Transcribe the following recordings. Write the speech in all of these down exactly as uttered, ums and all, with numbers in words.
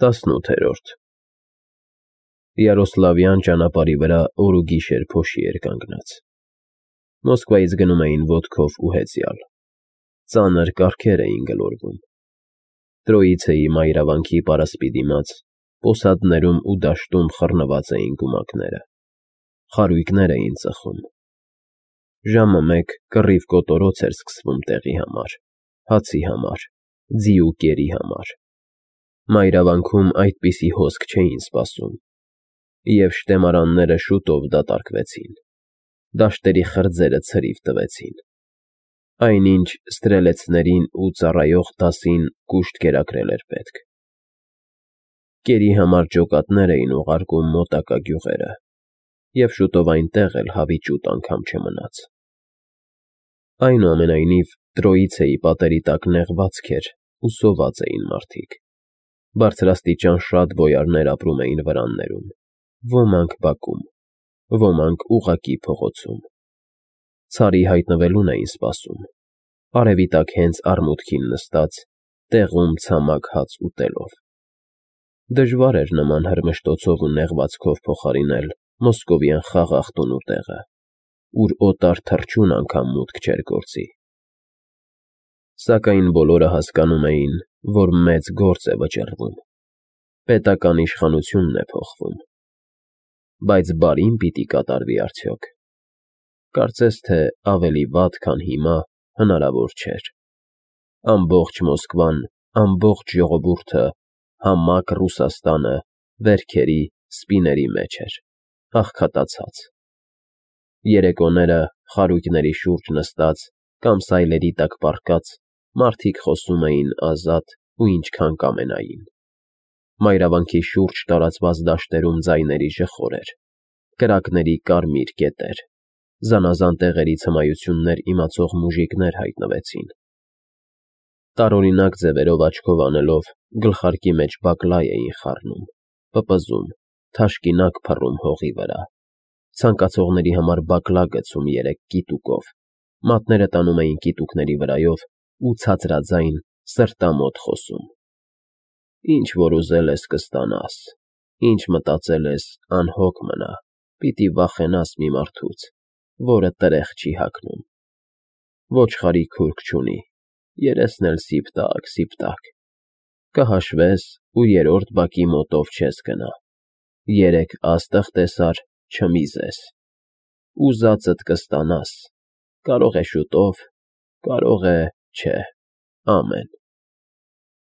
տասնութերորդ Յարոսլավյան ճանապարհի վրա օր ու գիշեր փոշի էր կանգնած։ Մոսկվայից գնում էին ոտքով ու հեծյալ։ Ծանր կառքեր էին գլորվում։ Տրոիցեի մայրավանքի պարասպի դիմաց, պոսադներում ու դաշտում խռնված էին գումակները։ Խարույկներ էին ծխում։ Ժամը մեկ կռիվ կոտորոց էր սկսվում տեղի համար, հացի համար, ձի ու կերի համար։ Մայրավանքում այդպիսի հոսք չէին սպասում, և շտեմարանները շուտով դատարկվեցին, դաշտերի խրձերը ցրիվ տվեցին։ Այնինչ ստրելեցներին ու ծառայող դասին կուշտ կերակրել էր պետք։ Կերի համար ջոկատներ էին ուղարկում մոտակա գյուղերը, և շուտով այնտեղ էլ հավիճուտ անգամ չմնաց։ Այնուամենայնիվ Տրոիցեի պատերի տակ նեղվածք էր ու սոված էին մարդիկ։ Բարձրաստիճան շատ բոյարներ ապրում էին վրաններում, ոմանք բակում, ոմանք ուղղակի փողոցում։ Ցարի հայտնվելուն էին սպասում, արևի տակ հենց արմուտքին նստած, տեղում ցամաք հաց ուտելով։ Դժվար էր նման հրմշտոցով ու նեղվածքով փոխարինել մոսկովյան խաղաղ տունու տեղը, ուր օտար թռչուն անգամ մուտք չէր գործի։ Սակայն բոլորը հասկանում էին, որ մեծ գործ է վճռվում, պետական իշխանությունն է փոխվում։ Բայց բարի՞ն պիտի կատարվի արդյոք։ Կարծես թե ավելի վատ, քան հիմա, հնարավոր չէր։ Ամբողջ Մոսկվան, ամբողջ ժողովուրդը, համակ Ռուսաստանը վերքերի, սպիների մեջ էր, աղքատացած։ Երեկոները խարույկների շուրջ նստած կամ սայլերի տակ պառկած մարդիկ խոսում էին ազատ ու ինչքան կամենային։ Մայրավանքի շուրջ տարածված դաշտերում ձայների ժխոր էր, կրակների կարմիր կետեր, զանազան տեղերից հմայություններ իմացող մուժիկներ հայտնվեցին։ Տարօրինակ ձևերով աչքով անելով գլխարկի մեջ բակլայ էին խառնում, պպզում, թաշկինակ փռում հողի վրա, ցանկացողների համար բակլա գցում երեք կիտուկով, մատները տանում էին կիտուկների վրայով ու ցածրաձայն, սրտամոտ խոսում. Ինչ որ ուզել ես կստանաս, ինչ մտածել ես անհոգ մնա, պիտի վախենաս մի մարդուց, որը տրեխ չի հագնում։ Ոչխարի քուրք չունի, երեսն էլ սիպտակ, սիպտակ, կհաշվես ու երրորդ բակի մոտով չես գնա, երեք աստղ տեսար, չմիզես, ուզածդ կստանաս, կարող է շուտով, կարող է չէ, ամեն։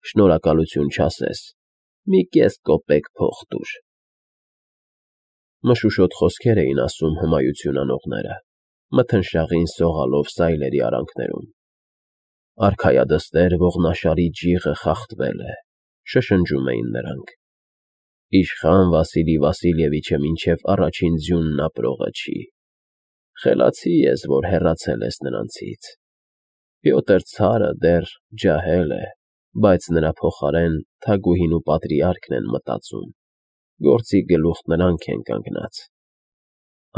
Շնորհակալություն չասես, մի կես կոպեկ փող տուր։ Մշուշոտ խոսքեր էին ասում հմայություն անողները, մթնշաղին սողալով սայլերի արանքներում։ Արքայադստեր ողնաշարի ջիղը խախտվել է, շշնջում էին նրանք։ Իշխան Վասիլի Վասիլևիչը մինչև առաջին ձյունն ապրողը չի։ Խելացի ես, որ հեռացել ես նրանցից։ Պյոտր ցարը դեռ ջահել է, բայց նրա փոխարեն Թագուհին ու պատրիարքն են մտածում, գործի գլուխ նրանք են կանգնած։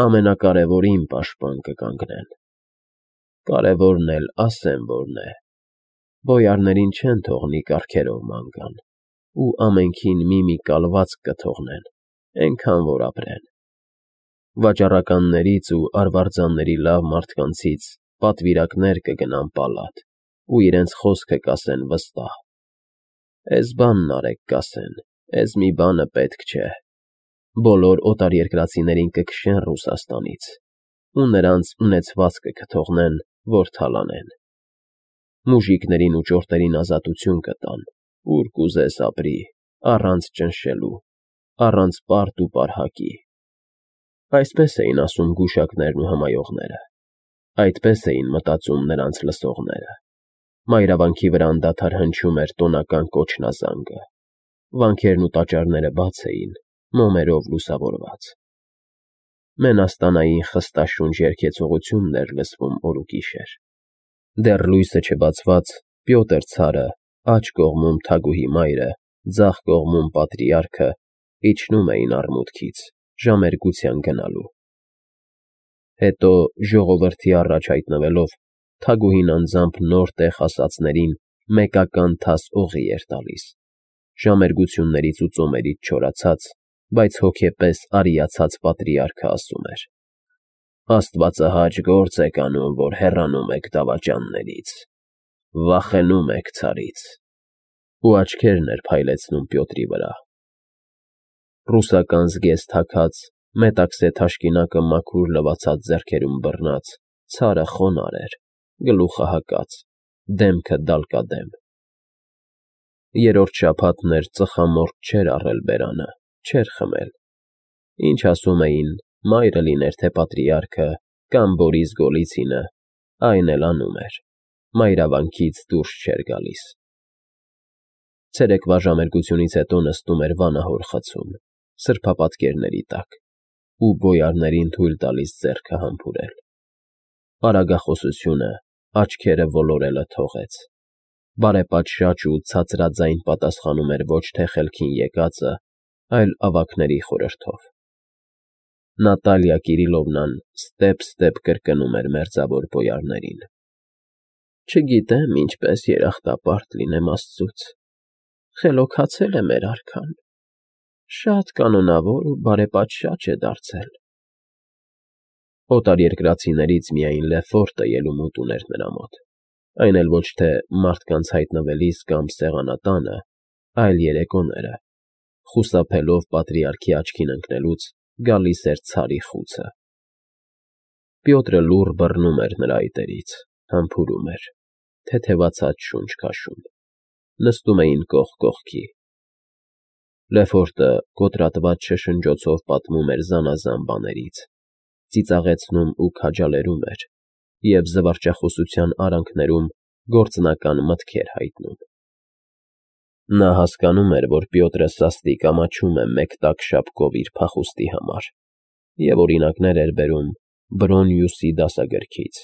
Ամենակարևորին պաշտպան կկանգնեն։ Կարևորն էլ ասեմ որն է. բոյարներին չեն թողնի կառքերով ման գան, ու ամենքին մի-մի կալվածք կթողնեն, էնքան որ ապրեն։ Վաճառականներից ու արվարձանների լավ մարդկանցից պատվիրակներ կգնան պալատ ու իրենց խոսքը կասեն վստահ։ Էս բանն արեք կասեն, էս մի բանը պետք չէ։ Բոլոր օտարերկրացիներին կքշեն Ռուսաստանից ու նրանց ունեցվածքը կթողնեն, որ թալանեն։ Մուժիկներին ու ճորտերին ազատություն կտան, ուր կուզես ապրի, առանց ճնշելու, առանց պարտ ու պարհակի։ Այսպես էին ասում գուշակներն ու հմայողները, այդպես էին մտածում նրանց լսողները։ Մայրավանքի վրա անդադար հնչում էր տոնական կոչնազանգը, վանքերն ու տաճարները բաց էին, մոմերով լուսավորված։ Մենաստանային խստաշունչ երգեցողությունն էր լսվում օր ու գիշեր։ Դեռ լույսը չբացված Պյոտր ցարը, աջ կողմում Թագուհի մայրը, ձախ կողմում պատրիարքը իջնում էին արմուտքից, ժամերգության գնալու։ Հետո ժողովրդի առաջ հայտնվելով Թագուհին անձամբ նոր տեղ հասածներին մեկական թաս օղի էր տալիս, Ժամերգություններից ու ծոմերից չորացած, բայց հոգեպես արիացած պատրիարքը ասում էր. «Աստվածահաճ գործ եք անում, որ հեռանում եք դավաճաններից, վախենում եք ցարից», ու աչքերն էր փայլեցնում Պյոտրի վրա։ Ռուսական զգեստ հագած, մետաքսե թաշկինակը մաքուր լվացած ձեռքերում բռնած, ցարը խոնարհ էր, գլուխը հակած, դեմքը դալկադեմ։ Երրորդ շաբաթն էր, ծխամորճ չէր առել բերանը, չէր խմել, ինչ ասում էին, մայրը լիներ թե պատրիարքը կամ Բորիս Գոլիցինը, այն էլ անում էր, մայրավանքից դուրս չէր գալիս։ Ցերեկվա ժամերգությունից հետո նստում էր վանահոր խցում, սրբապատկերների տակ, ու բոյարներին թույլ տալիս ձեռքը համբուրել։ Արագախոսությունը, աչքերը ոլորելը թողեց։ Բարեպատշաճ ու ցածրաձայն պատասխանում էր ոչ թե խելքին եկածը, այլ ավագների խորհրդով։ Նատալիա Կիրիլովնան ստեպ-ստեպ կրկնում էր մերձավոր բոյարներին. «Չգիտեմ ինչպես երախտապարտ լինեմ աստծուց, խելոքացել է մեր արքան, շատ կանոնավոր ու բարեպատշաճ է դարձել»։ Օտարերկրացիներից միայն Լեֆորտը ելումուտ ուներ նրա մոտ, այն էլ ոչ թե մարդկանց հայտնվելիս կամ սեղանատանը, այլ երեկոները, խուսափելով պատրիարքի աչքին ընկնելուց, գալիս էր ցարի խուցը։ Պյոտրը լուռ բռնում էր նրա այտերից, համբուրում էր, թեթևացած շունչ քաշում, նստում էին կողք կողքի։ Լեֆորտը կոտրատված շշնջոցով պատմում էր զանազան բաներից, ծիծաղեցնում ու քաջալերում էր և զվարճախոսության արանքներում գործնական մտքեր հայտնում։ Նա հասկանում էր, որ Պյոտրը սաստիկ ամաչում է մեկ տաք շապկով իր փախուստի համար և օրինակներ էր բերում Բրոնյուսի դասագրքից,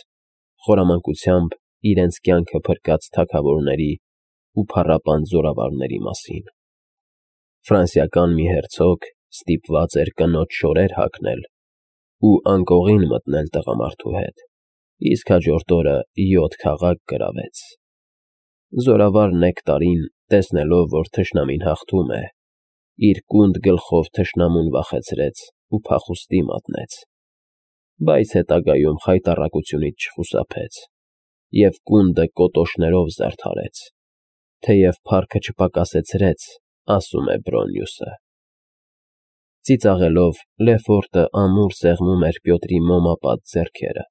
խորամանկությամբ իրենց կյանքը փրկած թագավորների ու փառապան զորավարների մասին։ Ֆրանսիական մի հերցոգ ստիպված էր կնոջ շորեր հագնել ու անկողին մտնել տղամարդու հետ, իսկ հաջորդ օրը յոթ քաղաք գրավեց։ Զորավար Նեկտարին, տեսնելով, որ թշնամին հաղթում է, իր կունդ գլխով թշնամուն վախեցրեց ու փախուստի մատնեց, բայց հետագայում խայտառակությունից չխուսափեց և կունդը կոտոշներով զարդարեց, թեև փառքը չպակասեցրեց, ասում է Բրոնյուսը։ Ծիծաղելով Լեֆորտը ամուր սեղմում էր Պյոտրի մոմապատ ձեռքերը։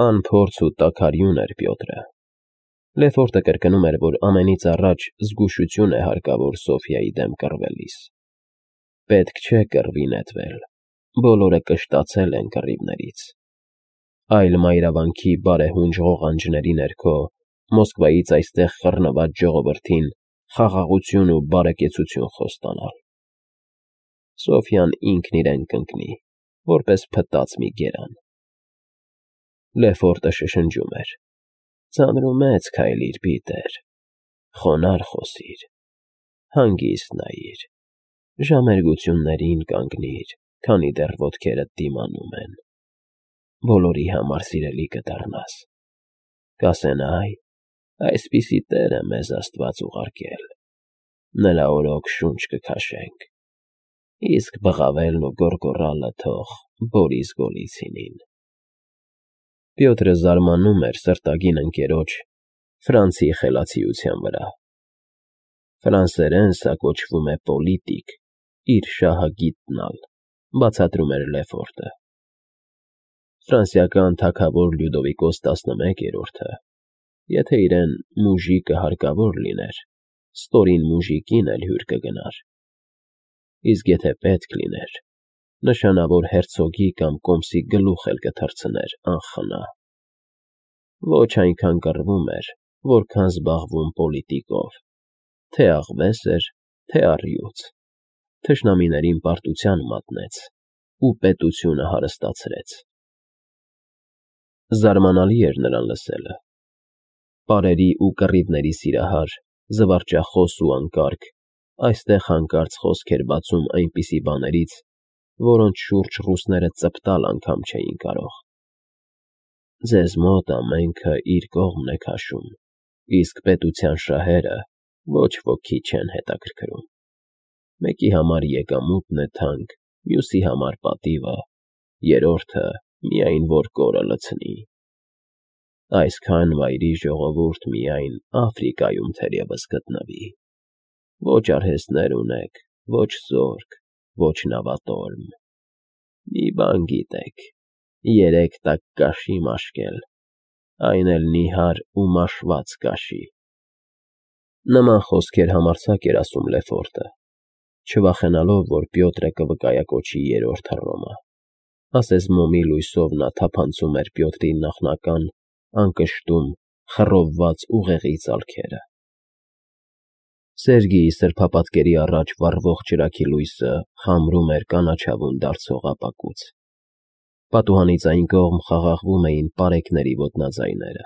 Անփորձ ու տաքարյուն էր Պյոտրը։ Լեֆորտը կրկնում էր, որ ամենից առաջ զգուշություն է հարկավոր Սոֆյայի դեմ կռվելիս։ Պետք չէ կռվի նետվել, բոլորը կշտացել են կռիվներից։ Այլ մայրավանքի բարեհունջ ղողանջների ներքո Մոսկվայից այստեղ խռնված ժողովրդին խաղաղություն ու բարեկեցություն խոստանալ։ Սոֆյան ինքն իրեն կընկնի, որպես փտած մի գերան։ Լեֆորտը շշնջում էր. «Ծանրումեծ քայլիր, Պիտեր, խոնարհ խոսիր, հանգիստ նայիր, ժամերգություններին կանգնիր, քանի դեռ ոտքերդ դիմանում են, բոլորի համար սիրելի կդառնաս, կասեն այ, այսպիսի տեր է մեզ Աստված ուղարկել, նրա օրոք շունչ կքաշենք, իսկ բղավելն ու գոռգոռալը թող Բորիս Գոլիցինին»։ Պյոտրը զարմանում էր սրտագին ընկերոջ՝ Ֆրանցի խելացիության վրա։ Ֆրանսերեն սա կոչվում է պոլիտիկ, իր շահը գիտնալ, բացատրում էր Լեֆորտը։ Ֆրանսիական թագավոր Լյուդովիկոս տասնմեկերորդը, եթե իրեն մուժիկը հարկավոր լիներ, ստորին մուժիկին էլ հյուր կգնար, իսկ եթե պետք լիներ, նշանավոր հերցոգի կամ կոմսի գլուխ էլ կթռցներ անխնա։ Ոչ այնքան կռվում էր, որքան զբաղվում պոլիտիկով, թե աղվես էր, թե առյուծ, թշնամիներին պարտության մատնեց ու պետությունը հարստացրեց։ Զարմանալի էր նրան լսելը։ Պարերի ու կռիվների սիրահար, զվարճախոս ու անկարգ, այստեղ հանկարծ խոսք էր բացում այնպիսի բաներից, որոնց շուրջ ռուսները ծպտալ անգամ չէին կարող։ Ձեզ մոտ ամենքը իր կողմն է քաշում, իսկ պետության շահերը ոչ ոքի չեն հետաքրքրում։ Մեկի համար եկամուտն է թանկ, մյուսի համար պատիվը, երրորդը միայն որ կորը լցնի։ Այսքան վայրի ժողովուրդ միայն Աֆրիկայում թերևս գտնվի։ Ոչ արհեստներ ունեք, ոչ զորք, ոչ նավատորմ։ Մի բան գիտեք, երեք տակ կաշի մաշկել, այն էլ նիհար ու մաշված կաշի։ Նման խոսքեր համարձակ էր ասում Լեֆորտը, չվախենալով, որ Պյոտրը կվկայակոչի երրորդ Հռոմը, ասես մոմի լույսով նա թափանցում էր Պյոտրի նախնական, անկշտում, խռովված ուղեղի ծալքերը։ Սերգիի սրբապատկերի առաջ վառվող ճրագի լույսը խամրում էր կանաչավուն դարձող ապակուց։ Պատուհանից այն կողմ խաղաղվում էին պարեկների ոտնաձայները,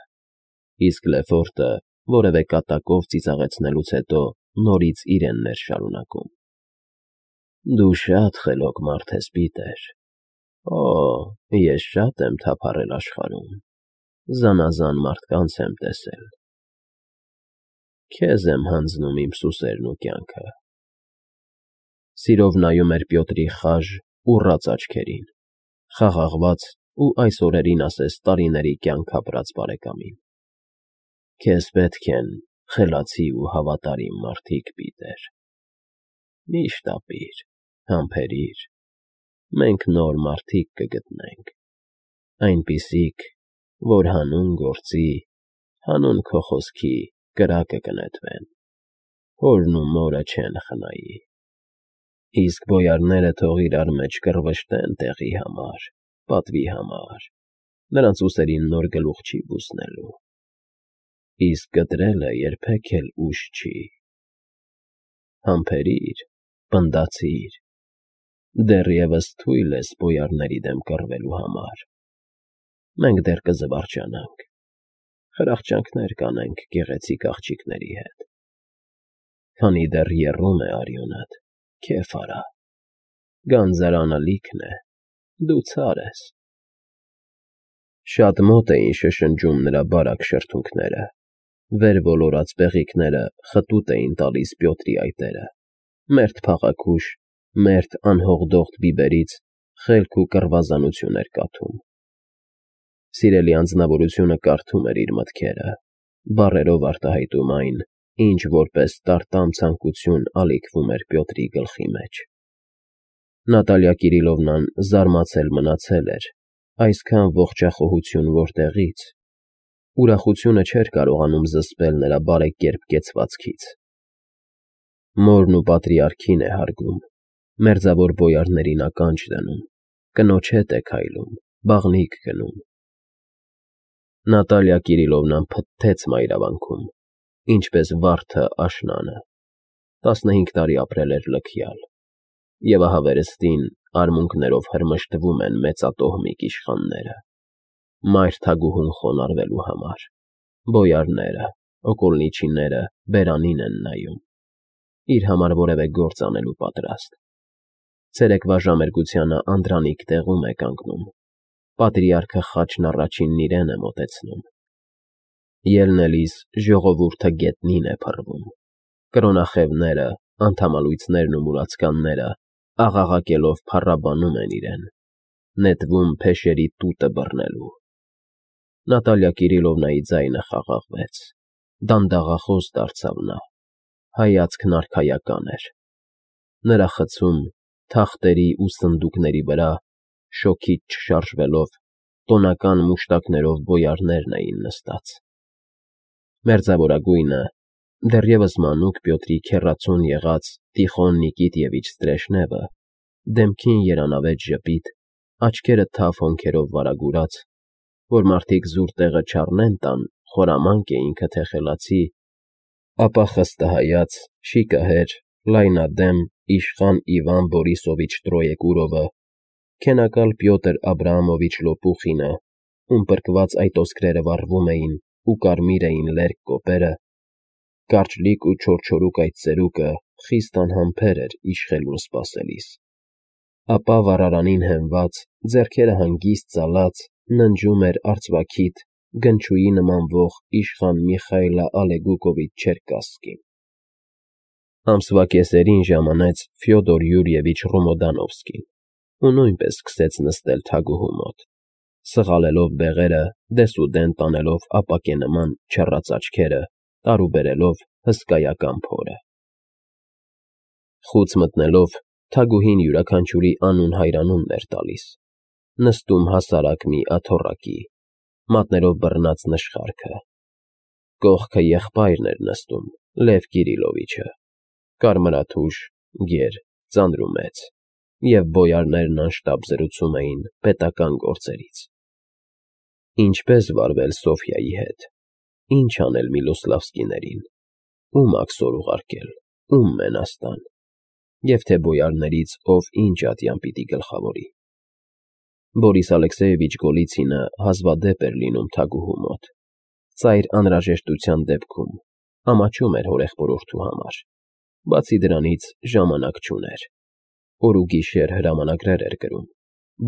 իսկ Լեֆորտը որևէ կատակով ծիծաղեցնելուց հետո նորից իրենն էր շարունակում. Դու շատ խելոք մարդ ես, Պիտեր։ Օ, ես շատ եմ թափառել աշխարհում, զանազան մարդկանց եմ տեսել։ Քեզ եմ հանձնում իմ սուսերն ու կյանքը։ Սիրով նայում էր Պյոտրի խաժ, ուռած աչքերին, խաղաղված ու այս օրերին ասես տարիների կյանք ապրած բարեկամին։ Քեզ պետք են խելացի ու հավատարիմ մարդիկ, Պիտեր։ Միշտ ապիր, համբերիր, մենք նոր մարդիկ կգտնենք, այնպիսիք, որ հանուն գործի, հանուն քո խոսքի կրակը կնետվեն, հորն ու մորը չեն խնայի։ Իսկ բոյարները թող իրար մեջ կռվշտեն տեղի համար, պատվի համար, նրանց ուսերին նոր գլուխ չի բուսնելու, իսկ կտրելը երբեք էլ ուշ չի։ Համբերիր, պնդացիր, դեռևս թույլ ես բոյարների դեմ կռվելու համար, մենք դեռ կզվարճանանք, խրախճանքներ կանենք գեղեցիկ աղջիկների հետ, քանի դեռ եռում է արյունդ, քեֆ արա, գանձարանը լիքն է, դու ցար ես։ Շատ մոտ էին շշնջում նրա բարակ շրթունքները, վեր ոլորած բեղիկները խտուտ էին տալիս Պյոտրի այտերը, մերթ փաղաքուշ, մերթ անհողդողդ բիբերից խելք ու կռվազանություն էր կաթում։ Սիրելի անձնավորությունը կարդում էր իր մտքերը, բառերով արտահայտում այն, ինչ որպես տարտամ ցանկություն ալիքվում էր Պյոտրի գլխի մեջ։ Նատալիա Կիրիլովնան զարմացել մնացել էր, այսքան ողջախոհություն որտեղից։ Ուրախությունը չէր կարողանում զսպել նրա բարեկերպ կեցվածքից։ Մորն ու պատրիարքին է հարգում, մերձավոր բոյարներին ականջ դնում, կնոջ հետ է քայլում, բաղնիք գնում։ Նատալիա Կիրիլովնան փթթեց մայրավանքում, ինչպես վարդը աշնանը, տասնհինգ տարի ապրել էր լքյալ, և ահա վերստին արմունկներով հրմշտվում են մեծատոհմիկ իշխանները, մայր թագուհուն խոնարհվելու համար, բոյարները, օկոլնիչիները բերանին են նայում, իր համար որևէ գործ անելու պատրաստ։ Ցերեկվա ժամերգությանը Անդրանիկ տեղում է կանգնում, պատրիարքը խաչն առաջինն իրեն է մոտեցնում։ Ելնելիս ժողովուրդը գետնին է փռվում, կրոնախևները, անդամալույցներն ու մուրացկանները աղաղակելով փառաբանում են իրեն, նետվում փեշերի տուտը բռնելու։ Նատալիա Կիրիլովնայի ձայնը խաղաղվեց, դանդաղախոս դարձավ նա, հայացքն արքայական էր։ Նրա խցում, թախտերի ու սնդուկների վրա, շոգից չշարժվելով, տոնական մուշտակներով բոյարներն էին նստած։ Մերձավորագույնը, դեռևս մանուկ Պյոտրի քեռացուն եղած Տիխոն Նիկիտիևիչ Ստրեժնևը, դեմքին երանավետ ժպիտ, աչքերը թավ հոնքերով վարագուրած, որ մարդիկ զուր տեղը չառնեն տան, խորամանկ է ինքը թե խելացի, ապա խստահայաց, շիկահեր, լայնադեմ իշխան Իվան Բորիսովիչ Տրոեկուրովը, քենակալ Պյոտր Աբրահամովիչ Լոպուխինը, ում պրկված այդ ոսկրերը վառվում էին ու կարմիր էին լերկ կոպերը, կարճլիկ ու չորչորուկ այդ ծերուկը խիստ անհամբեր էր իշխելուն սպասելիս, ապա վառարանին հենված, ձեռքերը հանգիստ ծալած, ննջում էր արծվաքիթ, գնչուի նմանվող իշխան Միխայիլը Ալեգուկովիչ Չերկասկին։ Ամսվա կեսերին ժամանեց Ֆյոդոր Յուրիևիչ Ռոմոդանովսկին ու նույնպես սկսեց նստել թագուհու մոտ, սղալելով բեղերը, դեսուդեն տանելով ապակենման չռած աչքերը, տարուբերելով հսկայական փորը։ Խուց մտնելով, թագուհին յուրաքանչյուրի անուն հայրանումն էր տալիս, նստում հասարակ մի աթոռակի, մատներով բռնած նշխարքը։ Կողքը եղբայրն էր նստում, Լև Կիրիլովիչը, կարմրաթուշ, գեր, ծանրումեծ, և բոյարներն անշտապ զրուցում էին պետական գործերից. ինչպես վարվել Սոֆյայի հետ, ինչ անել Միլոսլավսկիներին, ում աքսոր ուղարկել, ում մենաստան, և թե բոյարներից ով ինչ ատյան պիտի գլխավորի։ Բորիս Ալեքսեևիչ Գոլիցինը հազվադեպ էր լինում թագուհու մոտ, ծայր անհրաժեշտության դեպքում ամաչում էր հորեղբորորդու համար, բացի դրանից ժամանակ չուներ, օր ու գիշեր հրամանագրեր էր գրում,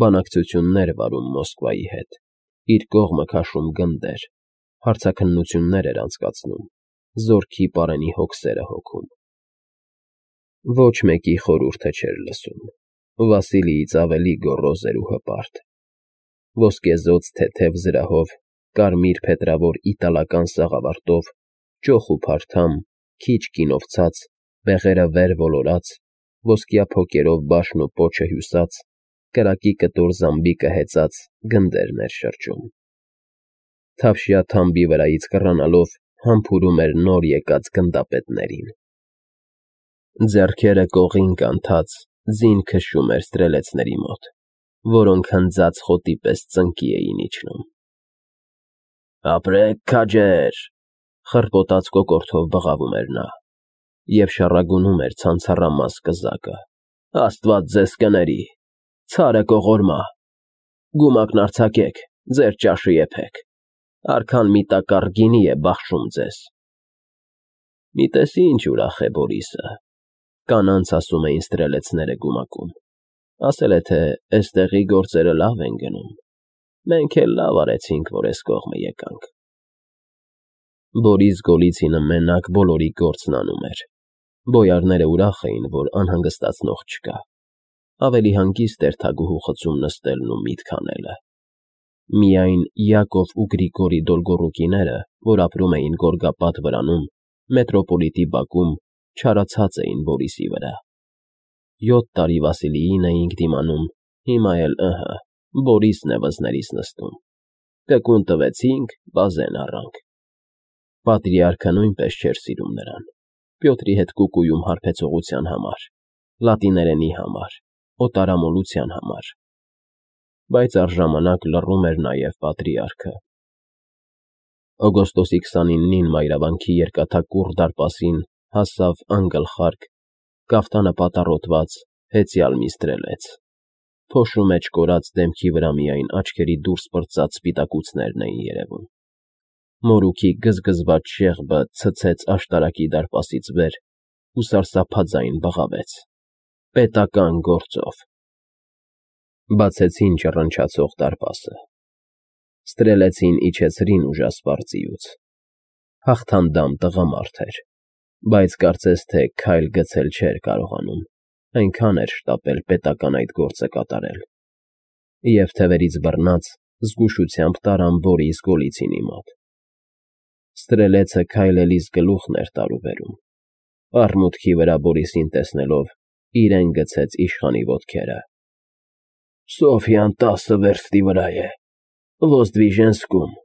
բանակցություններ վարում Մոսկվայի հետ, իր կողմը քաշում գնդեր, հարցաքննություններ էր անցկացնում, զորքի պարենի հոգսերը հոգում։ Ոչ մեկի խորհուրդը չէր լսում, Վասիլիից ավելի գոռոզ էր ու հպարտ։ Ոսկեզօծ թեթև զրահով, կարմիր փետրավոր իտալական սաղավարտով, ճոխ ու փարթամ, քիչ կինով ցած, բեղերը վեր ոլորած, ոսկյա փոկերով բաշն ու պոչը հյուսած, կրակի կտոր զամբիկը հեծած գնդերն էր շրջում։ Թավշյա թամբի վրայից կռանալով համբուրում էր նոր եկած գնդապետներին։ Ձեռքերը կողին կանթած, ձին քշում էր ստրելեցների մոտ, որոնք հնձած խոտի պես ծնկի էին իջնում։ «Ապրեք, քաջեր», խռպոտած կոկորդով բղավում էր նա, և շառագունում էր ցանցառամաս կզակը։ «Աստված ձեզ կների, ցարը կողորմա, գումակն արձակեք, ձեր ճաշը եփեք, արքան մի տակառ գինի է բաշխում ձեզ»։ Մի տեսի ինչ ուրախ է Բորիսը, կանանց ասում էին ստրելեցները գումակում, ասել է, թե էստեղի գործերը լավ են գնում, մենք էլ լավ արեցինք, որ էս կողմը եկանք։ Բորիս Գոլիցինը մենակ բոլորի գործն անում էր, բոյարները ուրախ էին, որ անհանգստացնող չկա, ավելի հանգիստ էր թագուհու խցում նստելն ու միտք անելը։ Միայն Յակով ու Գրիգորի Դոլգոռուկիները, որ ապրում էին Գորգապատ վրանում, մետրոպոլիտի բակում, չարացած էին Բորիսի վրա։ Յոթ տարի Վասիլիին էինք դիմանում, հիմա էլ ըհը, Բորիսն է վզներիս նստում։ Կկուն տվեցինք, բազեն առանք։ Պատրիարքը նույնպես չէր սիրում նրան, Պյոտրի հետ կուկուում հարբեցողության համար, լատիներենի համար, օտարամոլության համար, բայց առժամանակ լռում էր նաև պատրիարքը։ Օգոստոսի քսանինին մայրավանքի երկաթակուռ դարպասին հասավ անգլխարկ, կաֆտանը պատառոտված, հեծյալ մի ստրելեց, փոշու մեջ կորած դեմքի վրա միայն աչքերի դուրս պրծած սպիտակուցներն էին երևում։ Մորուքի գզգզված շեղբը ցցեց աշտարակի դարպասից վեր ու սարսափաձայն բղավեց. «Պետական գործով»։ Բացեցին ճռնչացող դարպասը։ Ստրելեցին իջեցրին ուժասպառ ձիուց։ Հաղթանդամ տղամարդ էր, բայց կարծես թե քայլ գցել չէր կարողանում, այնքան էր շտապել պետական այդ գործը կատարել։ Եվ թևերից բռնած, զգուշությամբ տարան Բորիս Գոլիցինի մոտ։ Ստրելեցը քայլելիս գլուխն էր տարուբերում։ Արմուտքի վրա Բորիսին տեսնելով, իրեն գցեց իշխանի ոտքերը։ «Սոֆյան տասը վերստի վրա է, Ոզդվիժենսկում,